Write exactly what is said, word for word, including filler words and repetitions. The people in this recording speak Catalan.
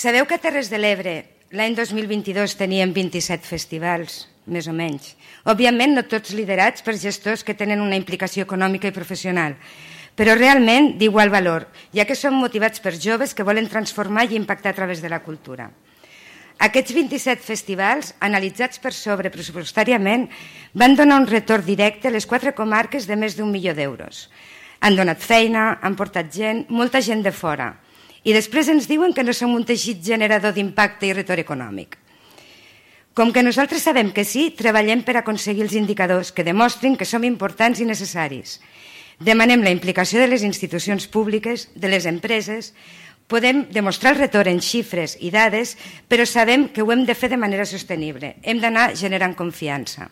Sabeu que a Terres de l'Ebre l'any dos mil vint-i-dos teníem vint-i-set festivals, més o menys. Òbviament no tots liderats per gestors que tenen una implicació econòmica i professional, però realment d'igual valor, ja que són motivats per joves que volen transformar i impactar a través de la cultura. Aquests vint-i-set festivals, analitzats per sobre pressupostàriament, van donar un retorn directe a les quatre comarques de més d'un milió d'euros. Han donat feina, han portat gent, molta gent de fora. I després ens diuen que no som un teixit generador d'impacte i retorn econòmic. Com que nosaltres sabem que sí, treballem per aconseguir els indicadors que demostrin que som importants i necessaris. Demanem la implicació de les institucions públiques, de les empreses. Podem demostrar el retorn en xifres i dades, però sabem que ho hem de fer de manera sostenible. Hem d'anar generant confiança.